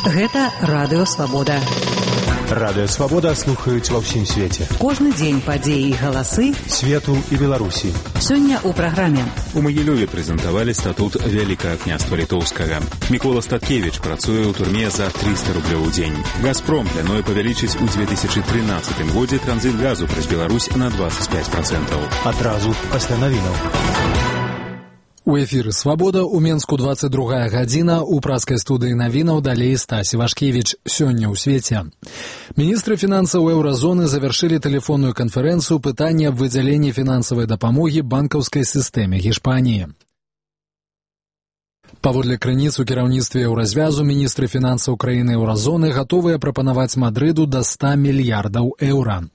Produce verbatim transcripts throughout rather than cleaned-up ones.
Гэта Радыё Свабода. Радыё Свабода слухаюць ва ўсім свеце. Кожны дзень падзеі і галасы свету і Беларусі. Сёння ў праграме. У Магілёве прэзентавалі статут Вялікага княства Літоўскага. Мікола Статкевіч працуе ў турме за трыста рублёў у дзень. «Газпром» плануе павялічыць у две тысячы трынаццатым годзе транзіт газу праз Беларусь на двадцать пять процентов. Адразу пасля навінаў. У эфіры «Свабода» у Менску двадцать другая гадзіна, у праскай студыі навінаў далей Стась Івашкевіч. Сёння ў свеце. Міністры фінансаў еўразоны завяршылі тэлефонную канферэнцыю пытання аб выдзяленні фінансавай дапамогі банкаўскай сістэме Гішпаніі. Паводле крыніц у кіраўніцтве еўразвязу міністры фінансаў краіны еўразоны гатовыя прапанаваць Мадрыду да ста мільярдаў еўра.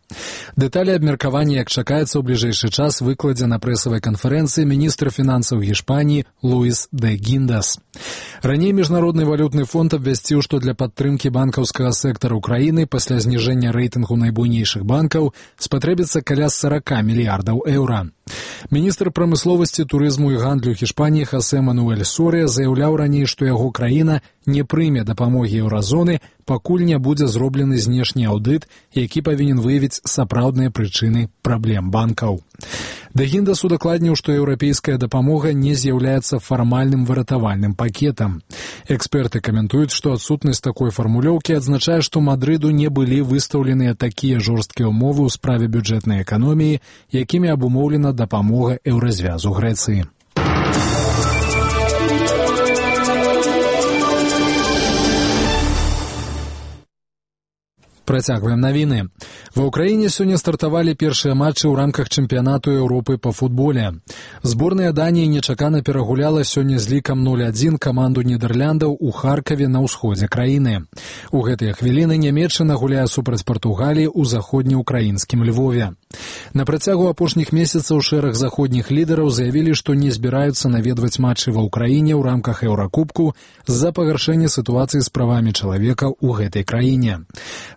Дэталі абмеркавання, як чакаецца, ў бліжэйшы час выкладзе на прэсавай канферэнцыі міністр фінансаў Гішпаніі Луіс де Гіндас. Раней Міжнародны валютны фонд абвясціў, што для падтрымкі банкаўскага сектару краіны пасля зніжэння рэйтынгу найбуйнейшых банкаў спатрэбіцца каля сорок мільярдаў еўра. Міністр прамысловасці, турызму і гандлю Гішпаніі Хосе Мануэль Сорыя заяўляў раней, што яго краіна не прыме дапамогі еўразоны, пакуль не будзе зроблены знешні аўдыт, які павінен выявіць сапраўдныя прычыны праблем банкаў. Де Гіндас удакладніў, што еўрапейская дапамога не з'яўляецца фармальным выратавальным пакетам. Эксперты каментуюць, што адсутнасць такой фармулёўкі адзначае, што Мадрыду не былі выстаўленыя такія жорсткія ўмовы ў справе бюджэтнай эканоміі, якімі абумоўлена дапамога еўразвязу Грэцыі. Працягваем навіны. Ва ўкраіне сёння стартавалі першыя матчы ў рамках чэмпіянату Еўропы па футболе. Зборная Даніі нечакана перагуляла сёння з лікам нуль адзін каманду Нідэрляндаў у Харкаве на ўсходзе краіны. У гэтыя хвіліны Нямецчына гуляе супраць Партугаліі ў заходнеукраінскім Львове. На працягу апошніх месяцаў шэраг заходніх лідараў заявілі, што не збіраюцца наведваць матчы ва ўкраіне ў рамках Еўракубку з-за пагаршэння сітуацыі з правамі чалавека ў гэтай краіне.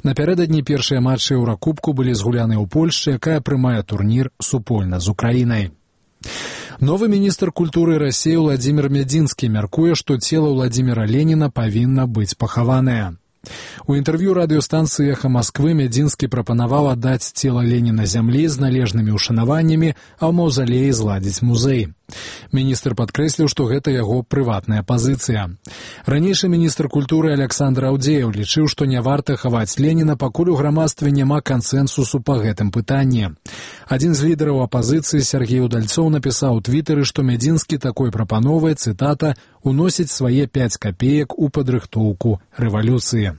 Напярэдадні першыя матчы Еўракубку былі згуляны ў Польшчы, якая прымае турнір супольна з Украінай. Новы міністр культуры Расіі Владзімір Мядзінскі мяркуе, што цела Владзіміра Леніна павінна быць пахаванае. У інтэрв'ю радыёстанцыі «Эхо Москвы» Мядзінскі прапанаваў аддаць цела Леніна зямлі з належнымі ўшанаваннямі, а ў маўзалеі зладзіць музей. Міністр падкрэсліў, што гэта яго прыватная пазіцыя. Ранейшы міністр культуры Аляксандр Аўдзеяў лічыў, што не варта хаваць Леніна, пакуль у грамадстве няма кансэнсусу па гэтым пытанні. Адзін з лідараў апазіцыі Сергей Удальцоў напісаў у твітары, што Мядзінскі такой прапановай, цытата, уносіць свае пяць капеек у падрыхтоўку рэвалюцыі.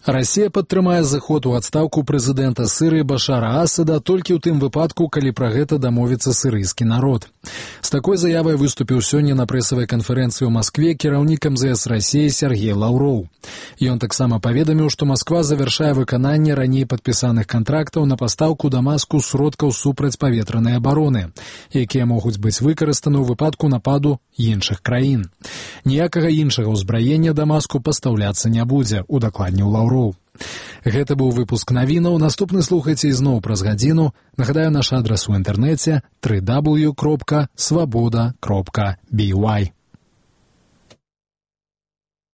Расія падтрымае зыход у адстаўку прэзідэнта Сірыі Башара Асада толькі ў тым выпадку, калі пра гэта дамовіцца сірыйскі народ. З такой заявай выступіў сёння на прэсавай канферэнцыі ў Маскве кіраўнік эм зэ эс Расіі Сергей Лаўроў. Ён таксама паведаміў, што Масква завяршае выкананне раней падпісаных кантрактаў на пастаўку Дамаску сродкаў супрацьпаветранай абароны, якія могуць быць выкарыстаны ў выпадку нападу іншых краін. Ніякага іншага ўзбраення Дамаску пастаўляцца не будзе, удакладніў Лаўроў. Гэта быў выпуск навінаў. Наступны слухайце ізноў праз гадзіну. Нагадаю наш адрас у інтэрнэце дабл ю дабл ю дабл ю кропка свабода кропка би вай.